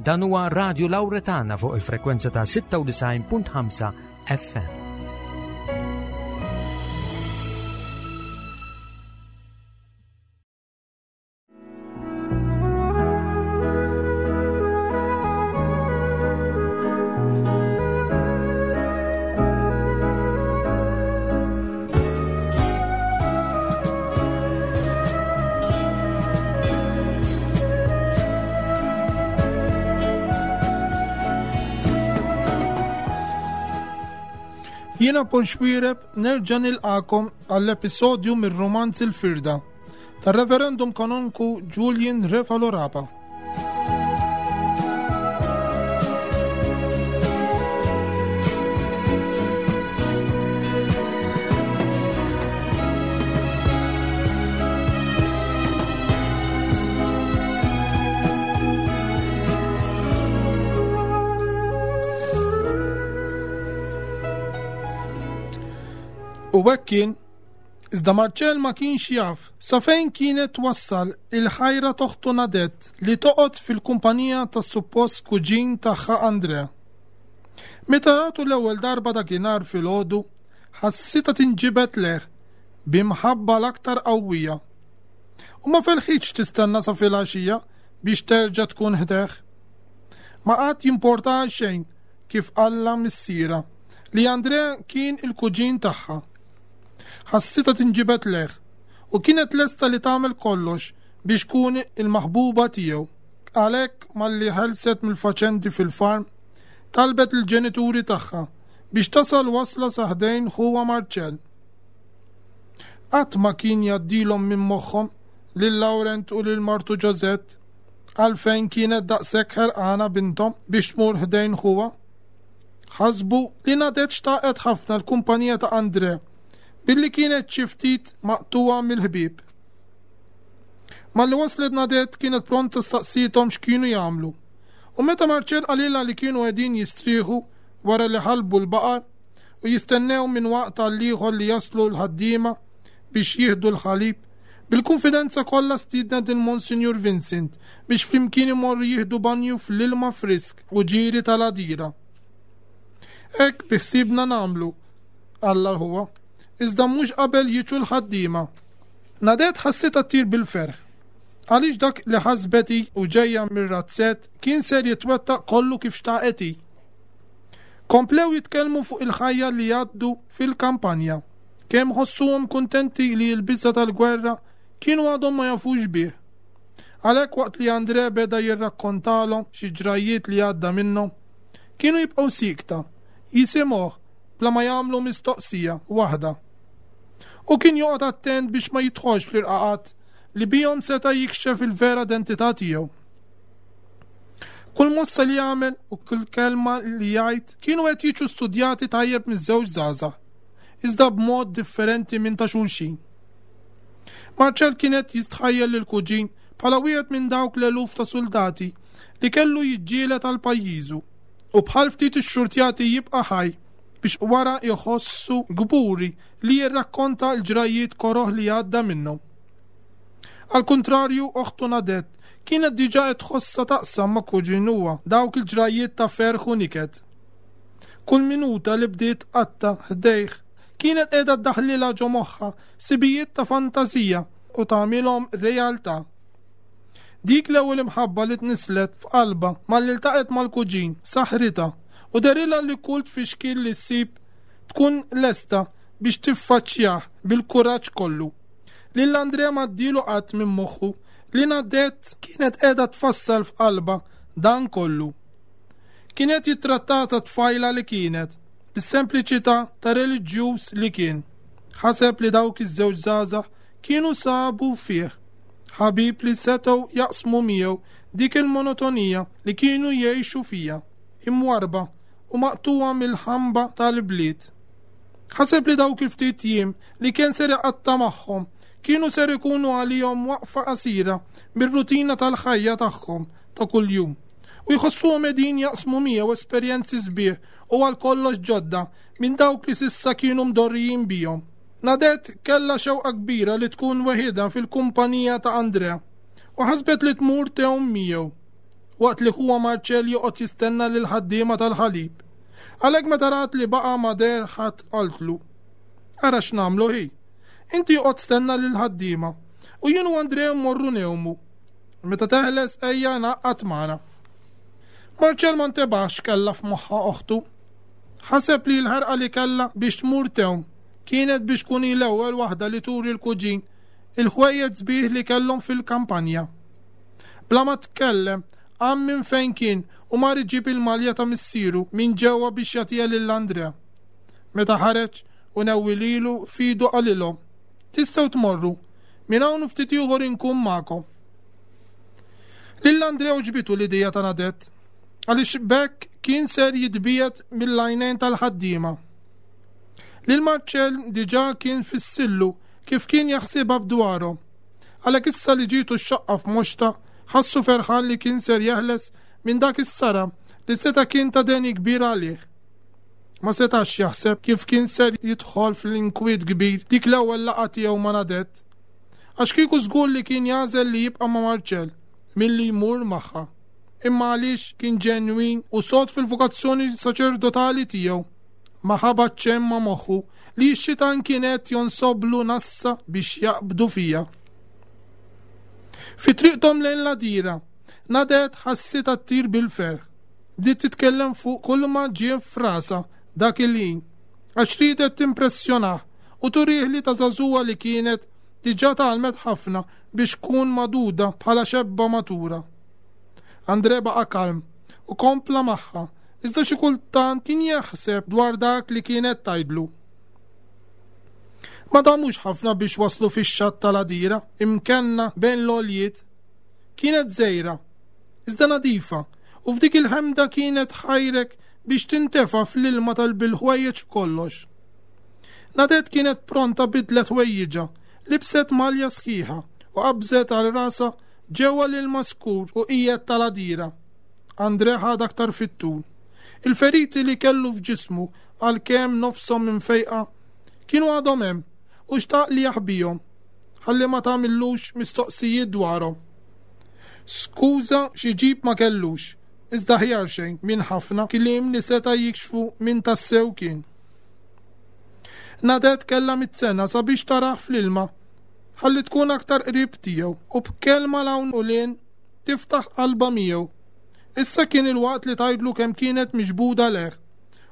Dan huwa Radio Lauretana fuq il-frekwenza ta' 96.5 FM. Jiena Paul Xwireb nerġa' nilqakom għall-episodju mir-romanz Il-Firda tar-Reverendum Kanonku Julian Refalo Rapa. U hekk kien, iżda Marcel ma kienx jaf sa fejn kienet twassal il-ħajra t'oħtu Nadette li toqgħod fil-kumpanija tas-suppost kuġin tagħha André. Meta ratu l-ewwel darba dakinhar filgħodu, ħassitha tinġibed lejh bi mħabba l-aktar qawwija. U ma felħitx tistenna sa filgħaxija biex terġa' tkun ħdejh. Ma qagħad jimportaha xejn kif qallha missierha li André kien il-kuġin tagħha. Ħassitha tinġibed lejh u kienet lesta li tagħmel kollox biex tkun il-maħbuba tiegħu. Għalhekk malli ħelset mill-faċendi fil-farm, talbet lill-ġenituri tagħha biex tasal wasla sa ħdejn ħuha Marcel. Qatt ma kien jgħaddilhom minn moħħhom lil Laurent u lil martu Josette għalfejn kienet daqshekk ħerqana binthom biex tmur ħdejn ħuha. Ħasbu li Nadette xtaqet ħafna l-kumpanija ta' André billi kienet xi ftit maqtugħa mill-ħbieb. Malli waslet Nadette kienet pronta staqsiethom x'kienu jagħmlu. U meta Marcel qalilha li kienu qegħdin jistrieħu wara li ħalbu l-baqar u jistennew minn waqt għal ieħor li jaslu l-ħaddiema biex jieħdu l-ħalib, bil-kunfidenza kollha stiednet lil Monsinjur Vincent biex flimkien imorru jieħdu banju fl-ilma frisk u ġieri tal-għadira. Hekk biħsiebna nagħmlu, qallha ħuha, iżda mhux qabel jiġu l-ħaddiema. Nadette ħassitha ttir bil-ferħ. Għaliex dak li ħasbet hi u ġejja mir-razzett kien ser jitwettaq kollu kif xtaqet hi. Komplew jitkellmu fuq il-ħajja li jgħaddu fil-kampanja. Kemm ħossuhom kuntenti li l-biża' tal-gwerra kienu għadhom ma jafux bih. Għalhekk waqt li André beda jirrakkontalhom xi ġrajjiet li għadda minnhom, kienu jibqgħu siekta, jisimgħuh bla ma jagħmlu mistoqsija waħda. Hu kien joqgħod attent biex ma jidħolx fl-irqaqat li bihom seta' jikxef il-vera identità tiegħu. Kull mossa li jagħmel u kull kelma li jgħid kienu qed jiġu studjati tajjeb miż-żewġ żgħażagħ, iżda b'mod differenti minn ta' xulxin. Marcel kien qed jistħajjel lill-kuġin bħala wieħed minn dawk l-eluf ta' suldati li kellu jiġġieled għal pajjiżu u bħal ftit ixxurtjati jibqa' ħaj biex wara jħossu kburi li jirrakkonta l-ġrajjiet koroh li għadda minnhom. Għall-kuntrarju, oħtu Nadette kienet diġà qed tħossha taqsam ma' kuġinuha dawk il-ġrajjiet ta' ferħ u niket. Kull minuta li bdiet tqatta' ħdejh kienet qiegħda ddaħħlilha ġo moħħha sibijiet ta' fantażija u tagħmilhom realtà. Dik l-ewwel imħabba li tnisslet f'qalbha malli ltaqgħet mal-kuġin saħħritha u dehrilha li kull tfixkil li ssib tkun lesta biex tiffaċċjah bil-kuraġġ kollu. Lil Andrea m'għaddielu qatt minn moħħu li Nadette kienet qiegħda tfassal f'qalbha dan kollu. Kien qed jittrattaha ta' tfajla li kienet, bis-sempliċità ta' reliġjuż li kien. Ħaseb li dawk iż-żewġ żgħażagħ kienu sabu fih ħabib li setgħu jaqsmu miegħu dik il-monotonija li kienu jgħixu fiha, imwarrba u maqtugħa mill-ħamba tal-ibliet. Ħaseb li dawk il-ftit jiem li kien ser iqatta' magħhom kienu ser ikunu għalihom waqfa qasira mir-rutina tal-ħajja tagħhom ta' kuljum u jħossuhom qegħdin jaqsmu miegħu esperjenzi sbieħ u għal kollox ġodda minn dawk li s'issa kienu mdorrijin bihom. Nadette kellha xewqa kbira li tkun weħidha fil-kumpanija ta' Andrea u ħasbet li tmur tgħum miegħu. waqt li ħuha Marcel joqgħod jistenna lill-ħaddiema tal-ħalib. Għalhekk meta rat li baqa' ma deher ħadd qaltlu, Ara x'nagħmlu ħi. Inti oqgħod stenna lill-ħaddiema u jien u Andrea mmorru ngħumu. Meta teħles ejja ingħaqad magħna. Marcel ma ntebaħx x'kellha f'moħħha oħtu. Ħaseb li l-ħerqa li kellha biex tmur tgħum kienet biex tkun hi l-ewwel waħda li turi l-kuġin il-ħwejjeġ sbieħ li kellhom fil-kampanja. Bla ma tkellem, qam minn fejn kien u mar iġib il-malja ta' missieru minn ġewwa biex jagħtiha lil Andrea. Meta ħareġ u newwi lilu f'idu qalilhom, Tistgħu tmorru, minn hawn u ftit ieħor inkun magħkom. Lil Andrea għoġbitu l-idea ta' Nadette, għaliex b'hekk kien ser jitbiegħed mill-għajnejn tal-ħaddiema. Lil Marcel diġà kien fissillu kif kien jaħsibha b'dwarhom. Għalhekk issa li ġietu x-xaqqa f'moxtha, ħassu ferħan li kien ser jeħles minn dak is-saram li seta' kien ta' deni kbir għalih. Ma setax jaħseb kif kien ser jidħol fl-inkwiet kbir dik l-ewwel laqgħa tiegħu ma' Nadette. Għax kieku żgur li kien jagħżel li jibqa' ma' Marcel milli jmur magħha. Imma għaliex kien ġenwin u sod fil-vokazzjoni saċerdotali tiegħu, ma ħabat xejn ma' moħħu li x-xitan kien qed jonsoblu nassa biex jaqbdu fiha. Fi triqthom lejn l-għadira, Nadette ħassitha ttir bil-ferħ. Bdiet titkellem fuq kulma ġie f'rasha dak il-ħin, għax riedet timpressjonah u turih li ta' żagħżugħa li kienet diġà tgħallmet ħafna biex tkun magħduda bħala xebba matura. André baqa' kalm u kompla magħha, iżda xi kultant kien jaħseb dwar dak li kienet tgħidlu. Ma damux ħafna biex waslu fix-xatt tal-għadira, imkenna bejn l-għoljiet. Kienet żgħira, iżda nadifa, u f'dik il-ħemda kienet tħajrek biex tintefa' fl-ilma tal-bil-ħwejjeġ b'kollox. Nadette kienet pronta bidlet ħwejjiġha, libset malja sħiħa u qabżet għal rasha ġewwa l-ilma skur u qiegħed tal-għadira. André ħad aktar fit-tul. Il-feriti li kellu f'ġismu, għalkemm nofshom imfejqa, kienu għadhom hemm u xtaq li jaħbihom, ħalli ma tagħmillux mistoqsijiet dwarhom. Skuża x'iġib ma kellux, iżda aħjar xejn minn ħafna kliem li seta' jikxfu min tassew kien. Nadette kellha mit-sena sabiex tarah fl-ilma ħalli tkun aktar qrib tiegħu u b'kelma 'l hawn u 'l hinn tiftaħ qalbha miegħu. Issa kien il-waqt li tgħidlu kemm kienet miġbuda lejh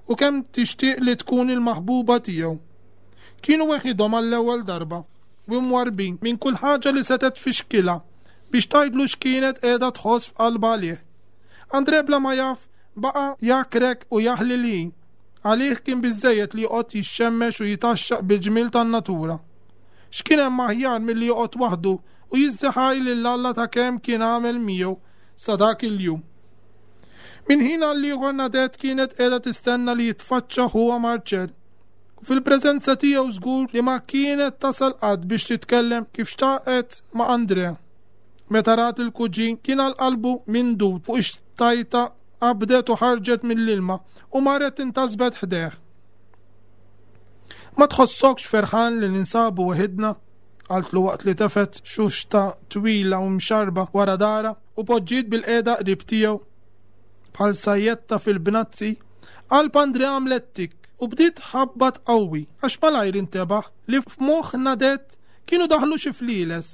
u kemm tixtieq li tkun il-maħbuba tiegħu. Kienu weħidhom għall-ewwel darba u mwarrbin minn kull ħaġa li setgħet tfixkilha biex tgħidlu x'kienet qiegħda tħoss f'qalbha għalih. André bla ma jaf baqa' jakrek u jaħli l-ħin. Għalih kien biżżejjed li joqgħod jixxemmex u jitgħaxxaq bil-ġmiel tan-natura. X'kien hemm aħjar milli joqgħod waħdu u jiżżeħaj lil Alla ta' kemm kien għamel miegħu sa dak il-jum. Minn ħin għal ieħor Nadette kienet qiegħda tistenna li jitfaċċa ħuha Marcel u fil-preżenza tiegħu żgur li ma kienet tasal qatt biex titkellem kif xtaqet ma' Andrea. Meta rat il-kuġin kien għal qalbu mindud fuq ix-xtajta qabdet u ħarġet mill-ilma u marret intasbet ħdejh. Ma tħossokx ferħan li ninsabu weħidna? qaltlu waqt li tefgħet xuxta twila u mxarrba wara darha u poġġiet bilqiegħda qrib tiegħu. Bħal sajjetta fil-bnazzi, qalb Andrea għamlet tikk u bdiet tħabbat qawwi għax malajr intebaħ li f'moħħ Nadette kienu daħlu xi flieles.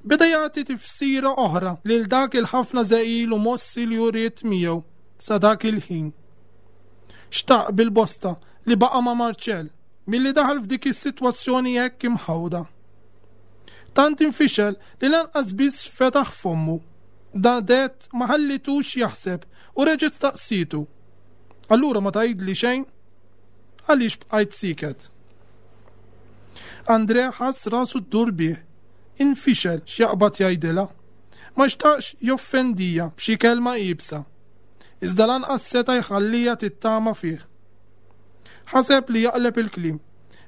Beda jagħti tifsira oħra lil dak il-ħafna żegħil u mossi li uriet miegħu sa dak il-ħin. Xtaq bil-bosta li baqa' ma' Marcel milli daħal f'dik is-sitwazzjoni hekk imħawda. Tant infixel li lanqas biss fetaħ fommu. Nadette ma ħallitux jaħseb u reġgħet staqsietu. Allura ma tgħidli xejn? Għaliex bqajt sieket? Andrea ħass rasu ddur bih. Infixel x'jaqbad jgħidilha. Ma xtaqx joffendija b'xi kelma iebsa. Iżda lanqas seta' jħalliha tittama fih. Ħaseb li jaqleb il-kliem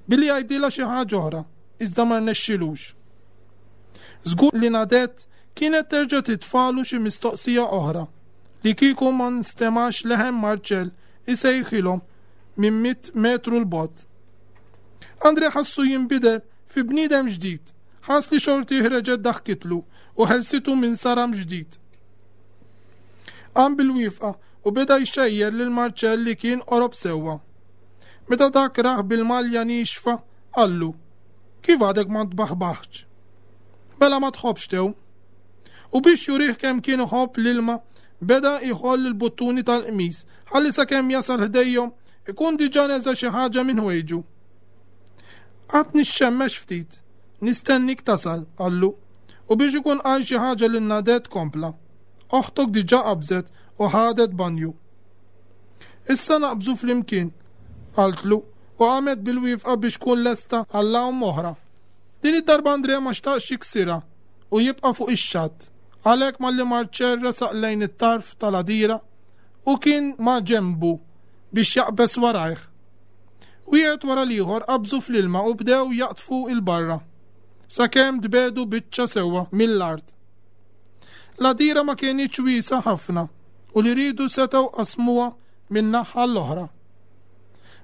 billi jgħidilha xi ħaġa oħra, iżda ma rnexxilux. Żgur li Nadette kienet terġa' titfagħlu xi mistoqsija oħra li kieku ma nstemax leħen Marcel isejħilhom minn mitt metru 'l bogħod. André ħassu jinbidel fi bniedem ġdid, ħass li xortih reġgħet daħkitlu u ħelsitu minn saram ġdid. Qam bil-wieqfa u beda jxejjer lil Marcel li kien qorob sewwa. Meta dak rah bil-malja niexfa, qallu, Kif għadek ma tbaħbaħtx? Mela ma tħobbx tgħum? U biex jurih kemm kien iħobb l-ilma, beda jħoll il-buttuni tal-qmis ħalli sakemm jasal ħdejhom ikun diġà neża' xi ħaġa minn ħwejġu. Qatt nixxemmex ftit, nistennik tasal, qallu. U biex ikun qal xi ħaġa lil Nadette kompla, Oħtok diġà qabżet u ħadet banju. Issa naqbżu flimkien, qaltlu u qamet bil-wieqfa biex tkun lesta għall-għawm oħra. Din id-darba Andrea ma xtaqx jiksirha u jibqa' fuq ix-xatt, għalhekk malli Marcel resaq lejn it-tarf tal-għadira, hu kien ma' ġenbu biex jaqbeż warajh. Wieħed wara l-ieħor qabżu fl-ilma u bdew jaqdfu 'l barra, sakemm tbiegħdu biċċa sewwa mill-art. L-għadira ma kinitx wiesgħa ħafna u li riedu setgħu qasmuha minn naħa għall-oħra.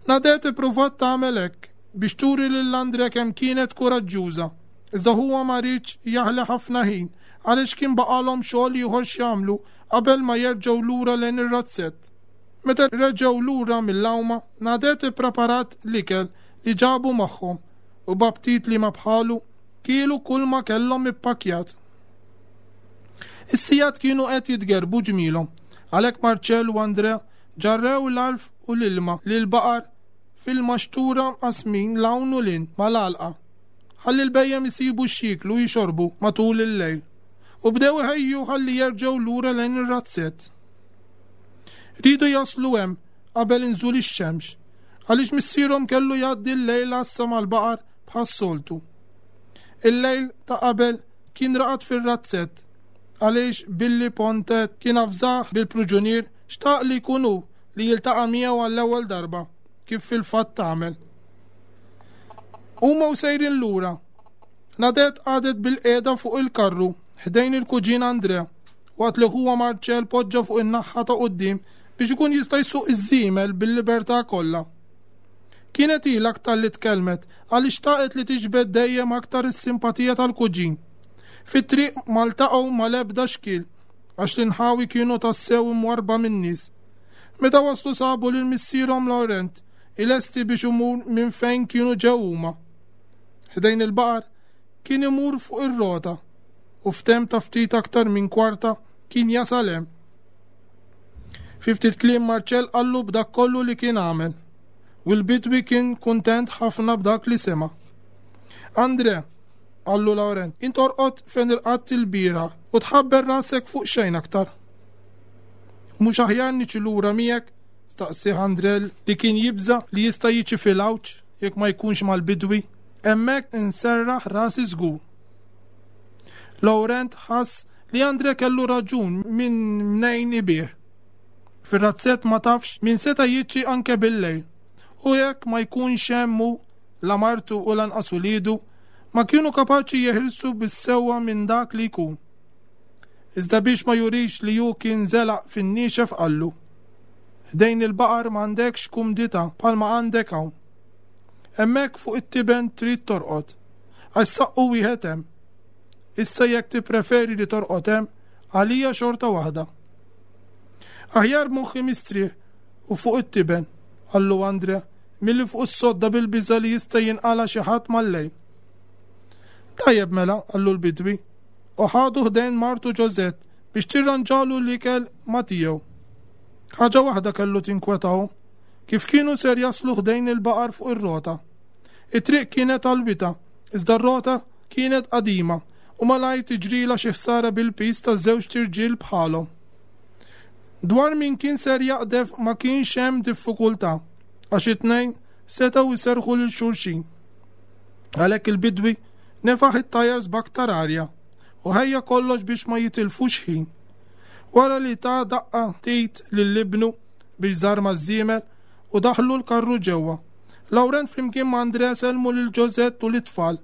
Nadette ippruvat tagħmel hekk biex turi lil Andre kemm kienet kuraġġuża, iżda huwa ma riedx jaħli ħafna ħin għaliex kien baqgħalhom xogħol ieħor x'jagħmlu qabel ma jerġgħu lura lejn ir-razzett. Meta reġgħu lura mill-għawma, Nadette ippreparat l-ikel li ġabu magħhom u b'aptit li ma bħalu, kielu kulma kellhom ippakkjat. Is-sigħat kienu qed jitgerrbu ġmielhom, għalhekk Marcel u Andrea ġarrew l-għalf u l-ilma lill-baqar fil-maxtura mqassmin 'l hawn u 'l hinn mal-għalqa, ħalli l-bhejjem isibu x'jieklu u jixorbu matul il-lejl, u bdew iħejju ħalli jerġgħu lura lejn ir-razzett. Riedu jaslu hemm qabel inżul ix-xemx, għaliex missierhom kellu jgħaddi l-lejl għassa mal-baqar bħas-soltu. Il-lejl ta' qabel kien raqad fir-razzett għaliex billi Pontet kien avżah bil-pruġunier xtaq li jkun hu li jiltaqa' miegħu għall-ewwel darba, kif fil-fatt għamel. Huma u sejrin lura, Nadette qagħdet bilqiegħda fuq il-karru ħdejn il-kuġin André waqt li ħuha Marcel poġġa fuq in-naħa ta' quddiem biex ikun jista' jsuq iż-żiemel bil-libertà kollha. Kienet hi l-aktar li tkellmet għaliex xtaqet li tiġbed dejjem aktar is-simpatija tal-kuġin. Fit-triq ma ltaqgħu mal-ebda xkiel għax l-inħawi kienu tassew imwarrba min-nies. Meta waslu sabu lil missierhom Laurent ilesti biex imur minn fejn kienu ġew huma. Ħdejn il-baqar kien imur fuq ir-rota u f'temp ta' ftit aktar minn kwarta kien jasal hemm. Fi ftit kliem Marcel qallu b'dak kollu li kien għamel u l-bidwi kien kuntent ħafna b'dak li sema'. Andre, qallu Laurent, int orqod fejn irqadt ilbieraħ u tħabber rasek fuq xejn aktar. Mhux aħjar niġi lura miegħek? staqsieh Andre li kien jibża' li jista' jiġi fil-għawġ jekk ma jkunx mal-bidwi. Hemmhekk inserraħ rasi żgur. Laurent ħass li Andre kellu raġun minn mnejn ibigħ. Fir-razzett ma tafx min seta' jiġi anke bil-lejl u jekk ma jkunx hemm hu, la martu u lanqas uliedu, ma kienu kapaċi jeħilsu bis-sewwa minn dak li jkun. Iżda biex ma jurix li hu kien żelaq fin-niexef qallu, Ħdejn il-baqar m'għandekx kumdità bħalma għandek hawn. Hemmhekk fuq it-tiben trid torqod, għax saqqu wieħed hemm. Issa jekk tippreferi li torqod hemm, għalija xorta waħda. Aħjar moħħi mistrieħ u fuq it-tiben, qallu Andre, milli fuq is-sodda bil-biża' li jista' jinqala' xi ħadd mal-lejl. Tajjeb mela, qallu l-bidwi, u ħadu ħdejn martu Josette biex tirranġalu l-ikel ma' tiegħu. Ħaġa waħda kellu tinkwetahom, kif kienu ser jaslu ħdejn il-baqar fuq ir-rota. It-triq kienet għall-wita, iżda r-rota kienet qadima u malajr tiġrilha xi ħsara bil-piż ta' żewġt irġiel bħalhom. Dwar min kien ser jaqdef ma kienx hemm diffikultà għax it-tnejn setgħu jserrħu lil xulxin. Għalhekk il-bidwi nefaħ it-tajers b'aktar arja u ħejja kollox biex ma jitilfux ħin. Wara li ta daqqa t'id lil ibnu biex żarma ż-żiemel u daħlu l-karru ġewwa. Laurent flimkien ma' Andrea sellmu lil Josette u lit-tfal,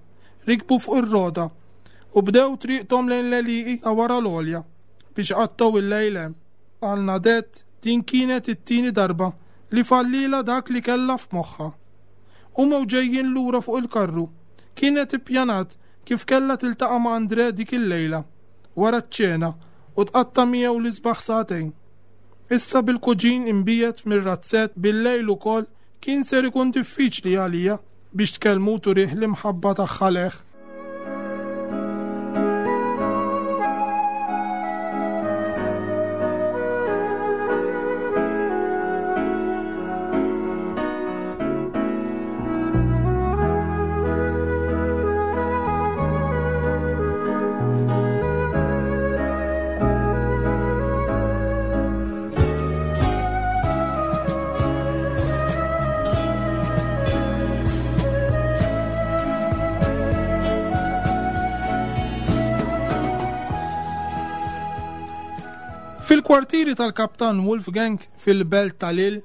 rikbu fuq ir-rota u bdew triqthom lejn l-għelieqi ta' wara l-għolja biex iqattgħu l-lejl hemm. Għal Nadette din kienet it-tieni darba li fallielha dak li kellha f'moħħha. Huma u ġejjin lura fuq il-karru, kienet ippjanat kif kellha tiltaqa' ma' André dik il-lejla, wara ċ-ċena, u tqatta' miegħu l-isbaħ sagħtejn. Issa bil-kuġin imbiegħed mir-razzett bil-lejl ukoll kien ser ikun diffiċli għalija biex tkellmu u turih l-imħabba tagħha lejh. Fil-kwartieri tal-Kaptan Wolfgang fil-belt ta' Lille,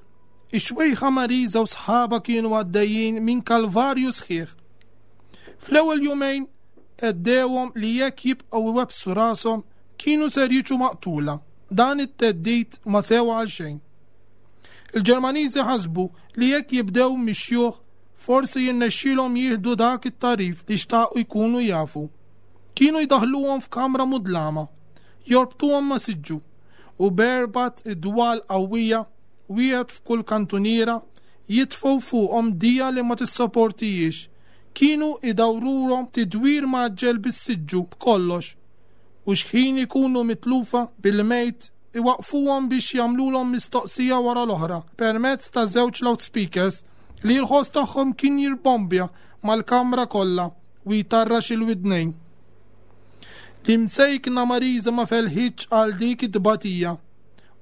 ix-xwejħa Marisa u sħabha kienu għaddejjin minn kalvarju sħiħ. Fl-ewwel jumejn għeddewhom li jekk jibqgħu iwebbsu rashom kienu ser jiġu maqtula. Dan it-theddid ma sewa għal xejn. Il-Ġermaniżi ħasbu li jekk jibdew mix-xjuħ forsi jirnexxielhom jieħdu dak it-tagħrif li xtaqu jkunu jafu. Kienu jdaħħluhom f'kamra mudlama, jorbtuhom ma' siġġu, u b'erbat idwal qawwija, wieħed f'kull kantuniera, jitfgħu fuqhom dija li ma tissaportihiex. Kienu idawrurhom tidwir mgħaġġel bis-siġġu b'kollox, u x'ħin ikunu mitlufa bil-mejt iwaqqfuhom biex jagħmlulhom mistoqsija wara l-oħra permezz ta' żewġ loudspeakers li l-ħoss tagħhom kien jirbombja mal-kamra kollha u jtarrax il-widnejn. L-imsejkna Marisa ma felħitx għal dik it-tbatija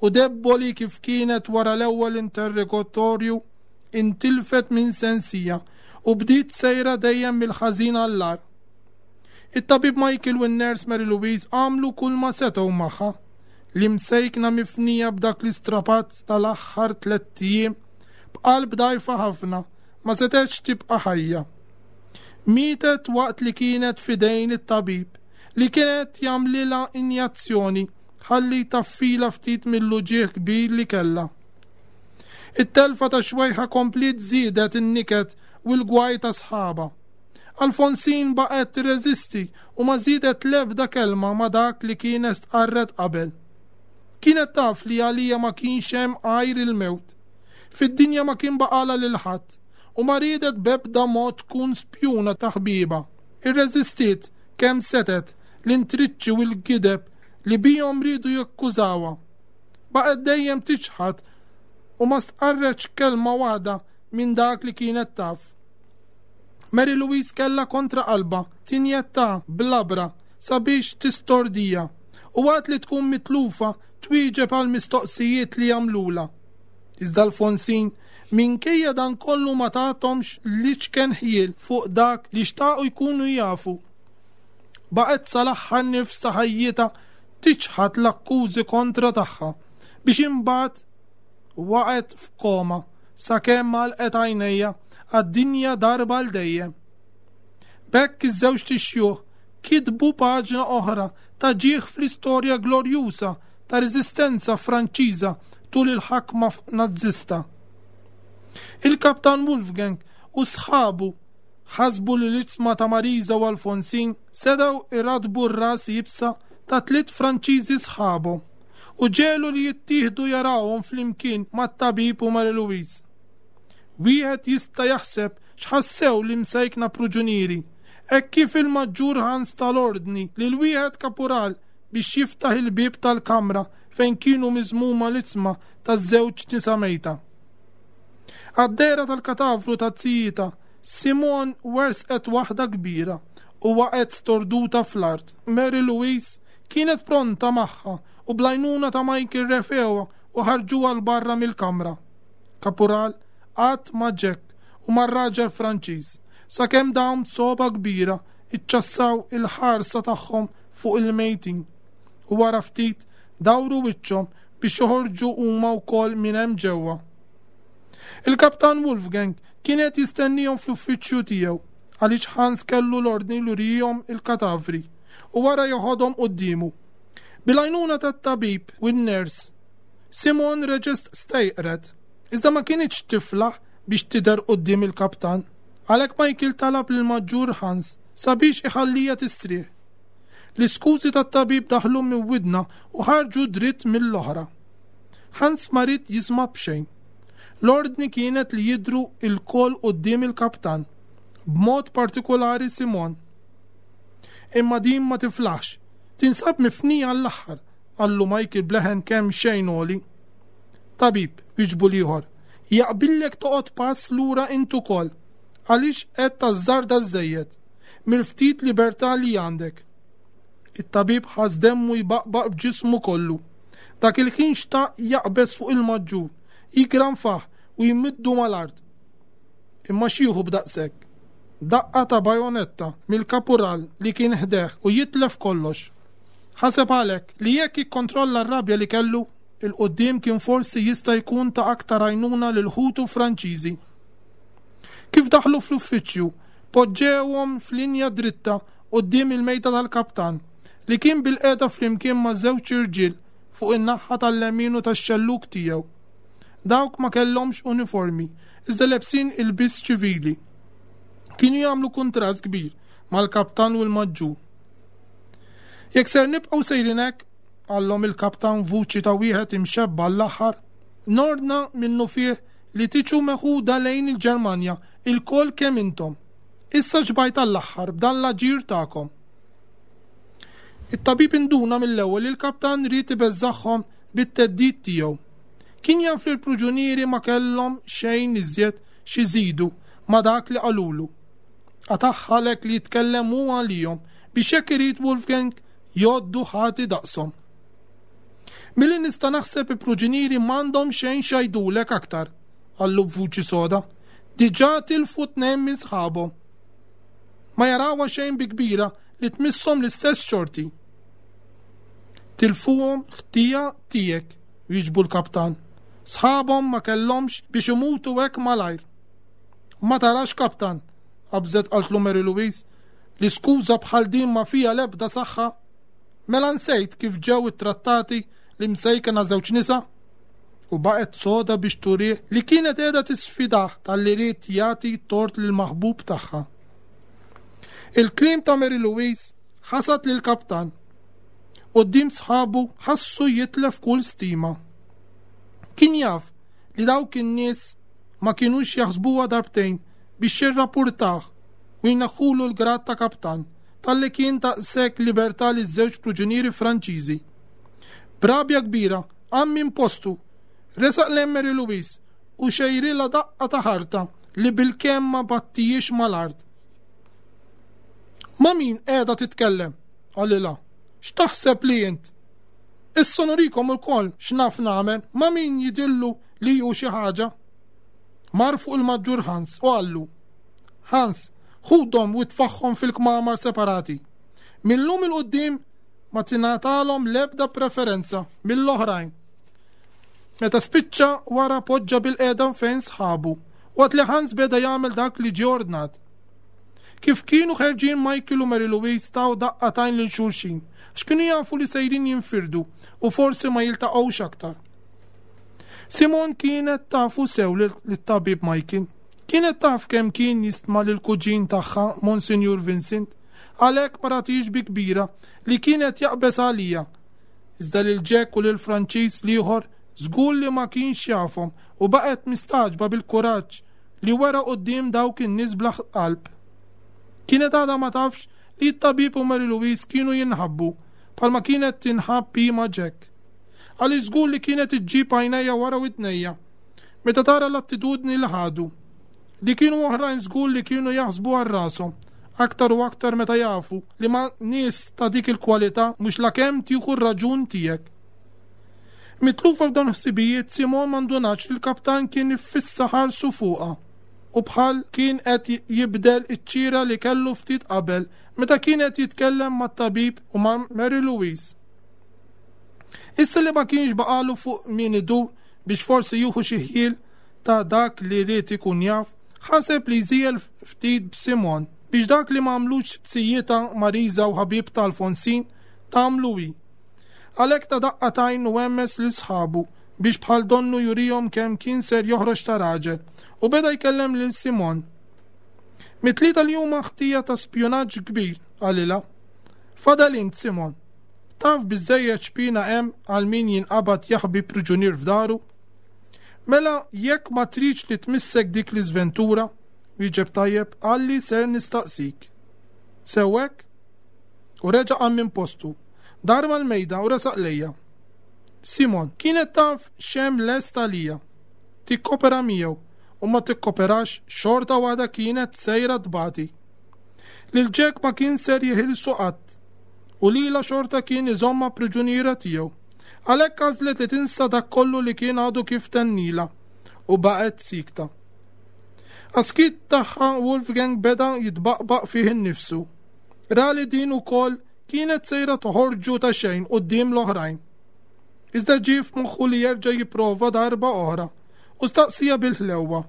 u debboli kif kienet wara l-ewwel interrogatorju intilfet minn sensija u bdiet sejra dejjem mill-ħażin għall-agħar. It-tabib Michael u n-nurse Mary Louise għamlu kulma setgħu magħha. L-imsejkna mifnija b'dak l-istrapazz tal-aħħar tlett ijiem, b'qalb dgħajfa ħafna, ma setgħetx tibqa' ħajja. Mietet waqt li kienet f'idejn it-tabib li kien qed jagħmlilha injazzjoni ħalli jtaffilha ftit mill-uġigħ kbir li kellha. It-telfa ta' xwejħa kompliet żiedet in-niket u l-gwaj ta' sħabha. Alfonsine baqgħet tirreżisti u ma żiedet l-ebda kelma ma' dak li kienet stqarret qabel. Kienet taf li għaliha ma kienx hemm għajr il-mewt. Fid-dinja ma kien baqgħalha lil ħadd u ma riedet b'ebda mod tkun spjuna ta' ħbiebha. Irreżistiet kemm setgħet l-intriċċi u l-gideb li bihom riedu jakkużawha. Baqgħet dejjem tiċħad u ma stqarretx kelma waħda minn dak li kienet taf. Mary Louise kellha kontra qalbha tinjettha b'labra sabiex tistordija u waqt li tkun mitlufa twieġeb għall-mistoqsijiet li jagħmlulha. Iżda Alfonsine, minkejja dan kollu ma tathomx l-iċken ħjiel fuq dak li xtaqu jkunu jafu. Baqgħet sal-aħħar nifs ta' ħajjitha tiċħad l-akkużi kontra tagħha biex imbagħad waqgħet f'koma sakemm għalqet għajnejha għad-dinja darba għal dejjem. B'hekk iż-żewġt ixjuħ kitbu paġna oħra ta' ġieħ fl-istorja glorjuża ta' reżistenza Franċiża tul il-ħakma Nazzista. Il-Kaptan Wolfgang u sħabu ħasbu li l-iġsma ta' Marisa u Alfonsine setgħu jrattbu r-ras iebsa ta' tliet Franċiżi sħabhom u ġegħlu li jittieħdu jarawhom flimkien mat-tabib u Marie Louise. Wieħed jista' jaħseb x'ħassew l-imsejkna pruġunieri hekk kif il-Maġġur Hans ta l-ordni lil wieħed kapural biex jiftaħ il-bieb tal-kamra fejn kienu miżmuma l-iġsma taż-żewġ nisa mejta. Għad-dehra tal-katavru ta' zijitha, Simone wersqet waħda kbira u waqgħet storduta fl-art. Mary Louise kienet pronta magħha u bl-għajnuna ta' Michael refgħuha u ħarġuha 'l barra mill-kamra. Kapural qagħad ma' Jack u mar-raġel Franċiż sakemm dawn b'sogħba kbira ċċassaw il-ħarsa tagħhom fuq il-mejtin u wara ftit dawru wiċċhom biex joħorġu huma wkoll minn hemm ġewwa. Il-Kaptan Wolfgang kien qed jistennihom fl-uffiċċju tiegħu għaliex Hans kellu l-ordni li jurihom il-katavri u wara joħodhom quddiemu. Bil-għajnuna tat-tabib u n-ners, Simone reġgħet stejqret, iżda ma kinitx tiflaħ biex tidher quddiem il-kaptan. Għalhekk Michael talab lill-Maġġur Hans sabiex iħalliha tistrieħ. L-iskużi tat-tabib daħlu minn widna u ħarġu dritt mill-oħra. Hans ma ried jisma' b'xejn. L-ordni kienet li jidhru lkoll quddiem il-kaptan, b'mod partikulari Simon. Imma din ma tiflaħx. Tinsab mifnija għall-aħħar, qallu Michael b'leħen kemxejn għoli. Tabib, wieġbu l-ieħor, jaqbillek toqgħod pass lura int ukoll, għaliex qed tażżarda żżejjed, mill-ftit libertà li għandek. It-tabib ħass demmu jbaqbaq b'ġismu kollu. Dak il-ħin xtaq jaqbeż fuq il-maġġur, jigranfah u jmiddu mal-art. Imma x'jieħu b'daqshekk? Daqqa ta' bajonetta mill-kapural li kien ħdejh u jitlef kollox. Ħaseb għalhekk li jekk jikkontrolla r-rabja li kellu, 'il quddiem kien forsi jista' jkun ta' aktar għajnuna lil ħutu Franċiżi. Kif daħlu fl-uffiċċju, poġġewhom f'linja dritta quddiem il-mejda tal-kaptan, li kien bilqiegħda flimkien ma' żewġ irġiel fuq in-naħa tal-lemin u tax-xellug tiegħu. Dawk ma kellhomx uniformi, iżda lebsin ilbies ċivili. Kienu jagħmlu kuntrast kbir mal-kaptan u l-maġġur. Jekk ser nibqgħu sejrin hekk, qallhom il-kaptan vuċi ta' wieħed imxebba' għall-aħħar, nordna minnufih li tiġu meħuda lejn il-Ġermanja ilkoll kemm intom. Issa xbajt għall-aħħar b'dan l-aġir tagħkom. It-tabib induna mill-ewwel li l-kaptan ried ibeżżagħhom bit-theddid tiegħu. Kien jaf li l-pruġunieri ma kellhom xejn iżjed x'iżidu ma' dak li qalulu. Qatagħha għalhekk li jitkellem hu għalihom biex jekk irid Wolfgang jgħoddu ħati daqshom. Milli nista' naħseb il-pruġunieri m'għandhom xejn x'jgħidulek aktar, qallu b'vuċi soda. Diġà tilfu tnejn minn sħabhom. Ma jarawha xejn bi kbira li tmisshom l-istess xorti. Tilfuhom ħtija tiegħek, wieġbu l-kaptan. Sħabhom ma kellhomx biex imutu hekk malajr. Ma tarax, kaptan, qabżet qaltlu Mary Louise, li skuża bħal din ma fiha l-ebda saħħa? Mela nsejt kif ġew ittrattati l-imsejkena żewġ nisa? U baqgħet soda biex turih li kienet qiegħda tisfidah talli ried jagħti t-tort lill-maħbub tagħha. Il-kliem ta' Mary Louise ħasad lill-kaptan. Quddiem sħabu ħassu jitlef kull stima. Kien jaf li dawk in-nies ma kinux jaħsbuha darbtejn biex jirrapurtah u jneħħulu l-grad ta' kaptan talli kien ta daqshekk libertà liż-żewġ pruġunieri Franċiżi. B'rabja kbira qam minn postu, resaq lejn Mary Louise u xejrilha daqqa ta' ħarta li bilkemm ma battihiex mal-art. Ma' min qiegħda titkellem? qalilha. X'taħseb li int? Issa nurikom ilkoll x'naf nagħmel ma' min jidhirlu li hu xi ħaġa. Mar fuq il-Maġġur Hans u qallu, Hans, ħudhom u itfagħhom fil-kmamar separati. Mil-lum 'il quddiem ma tingħatalhom l-ebda preferenza mill-oħrajn. Meta spiċċa wara poġġa bilqiegħda fejn sħabu, waqt li Hans beda jagħmel dak li ġie ordnat. Kif kienu ħerġin Michael u Mary Louise taw daqqa t'għajn lil xulxin, għax kienu jafu li sejrin jinfirdu u forsi ma jiltaqgħux aktar. Simon kienet tafu sew lit-tabib Michael. Kienet taf kemm kien jistma lill-kuġin tagħha Monsinjur Vincent, għalhekk ma rathiex bi kbira li kien qed jaqbeż għaliha. Iżda lil Jack u lill-Franċiż l-ieħor żgur li ma kienx jafhom u baqgħet mistagħġba bil-kuraġġ li wera quddiem dawk in-nies bla qalb. Kienet għadha ma tafx li t-tabib u Mary Louise kienu jinħabbu bħalma kienet tinħabb hi ma' Jack. Għaliex żgur li kienet iġġib għajnejha wara widnejha meta tara l-attitudni li ħadu. Li kienu oħrajn żgur li kienu jaħsbu għal rashom, aktar u aktar meta jafu li ma' nies ta' dik il-kwalità mhux lakemm tieħu r-raġun tiegħek. Mitlufa f'dawn il-ħsibijiet, Simon ma ndunatx li l-kaptan kien iffissa ħarsu fuqha u bħal kien qed jibdel iċ-ċiera li kellu ftit qabel meta kien qed jitkellem mat-tabib u ma' Mary Louise. Issa li ma kienx baqagħlu fuq min idur biex forsi jieħu xi ħjiel ta' dak li ried ikun jaf, ħaseb li jżiegħel ftit b'Simon biex dak li m'għamlux sijjietha Marisa u ħabibtha Alfonsin tagħmlu hi. Għalhekk ta daqqa t'għajn u hemmes lil sħabu biex bħal donnu jurihom kemm kien ser joħroġ ta' raġel, u beda jkellem lil Simon. Mit-tlieta li huma ħtija ta' spjunaġġ kbir, qalilha. Fadal int, Simon. Taf biżżejjed x'piena hemm għal min jinqabad jaħbi priġunier f'daru? Mela jekk ma tridx li tmissek dik l-iżventura, wieġeb tajjeb, qalli ser nistaqsik. Sew hekk? U reġa' qam minn postu, dar mal-mejda u resaq lejja. Simon, kienet taf x'hemm lest għalija. Tikkopera miegħu u ma tikkoperax xorta waħda kienet sejra tbati. Lil Jack ma kien ser jeħilsu qatt u lilha xorta kien iżommha priġuniera tiegħu. Għalhekk għażlet li tinsa dak kollu li kien għadu kif tennilha u baqgħet siekta. Għas-skiet tagħha Wolfgang beda jitbaqbaq fih innifsu. Ra li din ukoll kienet sejra toħorġu ta' xejn quddiem l-oħrajn. Iżda ġie f'moħħu li jerġa' jipprova darba oħra u staqsieha bil-ħlewwa.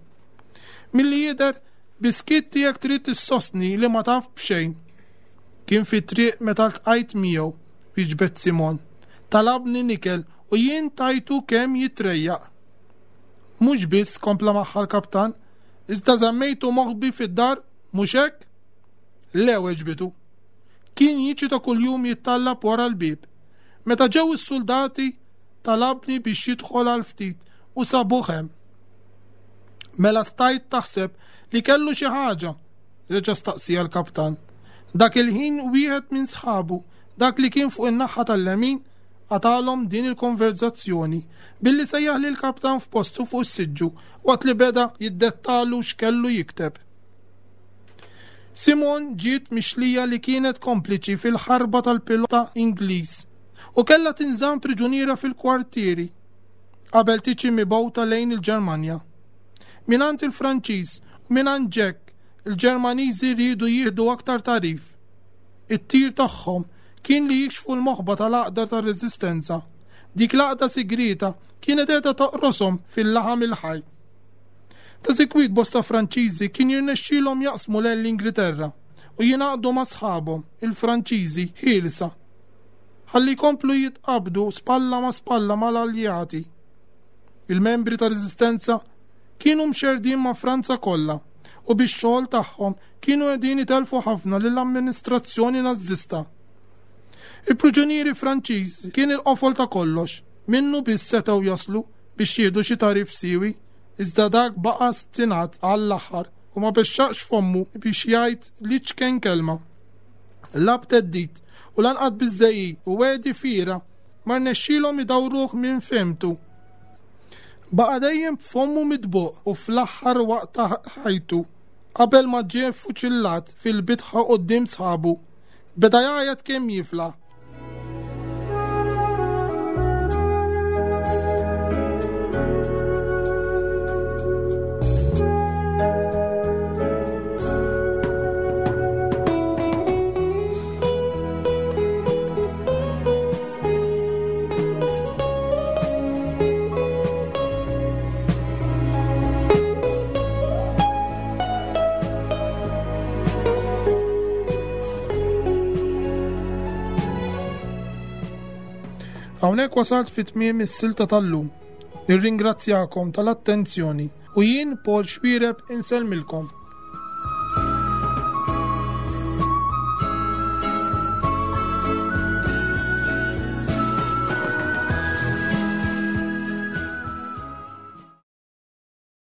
Milli jidher, bis-skiet tiegħek trid issostni li ma taf b'xejn. Kien fit-triq meta ltqajt miegħu, wieġbet Simon. Talabni nikel u jien tajtu kemm jitrejjaq. Mhux biss, kompla magħha l-kaptan, iżda żammejtu moħbi fid-dar, mhux hekk? Le, weġbitu. Kien jiġi ta' kuljum jittallab wara l-bieb. Meta ġew is-suldati, talabni biex jidħol għal ftit u sabuh hemm. Mela stajt taħseb li kellu xi ħaġa, reġa' staqsieha l-kaptan. Dak il-ħin wieħed minn sħabu, dak li kien fuq in-naħa tal-lemin, qatagħlhom din il-konverzazzjoni billi sejjaħ lill-kaptan f'postu fuq is-siġġu waqt li beda jiddettalu x'kellu jikteb. Simon ġiet mixlija li kienet kompliċi fil-ħarba tal-pilota Ingliż u kellha tinżamm priġuniera fil-kwartieri qabel tiġi mibgħuta lejn il-Ġermanja. Mingħand il-Franċiż u mingħand Jack, il-Ġermaniżi riedu jieħdu aktar tagħrif. It-tir tagħhom kien li jikxfu l-moħba tal-għaqda tar-reżistenza. Dik l-għaqda sigrieta kienet qiegħda toqroshom fil-laħam il-ħaj. Ta' sikwit bosta Franċiżi kien jirnexxielhom jaqsmu lejn l-Ingliterra u jingħaqdu ma' sħabhom, il-Franċiżi ħielsa, ħalli jkomplu jitqabdu spalla ma' spalla mal-Alleati. Il-membri tar-Reżistenza kienu mxerrdin ma' Franza kollha u bix-xogħol tagħhom kienu qegħdin itellfu ħafna lill-amministrazzjoni Nażista. Il-priġunieri Franċiż kien il-qofol ta' kollox, minnu biss setgħu jaslu biex jieħdu xi tagħrif siewi, iżda dak baqa' stinat għall-aħħar u ma bexxaqx fommu biex jgħid l-iċken kelma. La b'theddid u lanqas biż-żegħiq u wegħdi fiergħa ma rnexxielhom idawruh minn fehmtu. Baqa' dejjem b'fommu mitbuq u fl-aħħar waqt ta' ħajtu, qabel ma ġie ffuċillat fil-bitħa quddiem sħabu, beda jgħajjat kemm jiflaħ. Hawnhekk wasalt fi tmiem is-silta tal-lum. Nirringrazzjakom tal-attenzjoni u jien Paul Xwireb insellmilkom.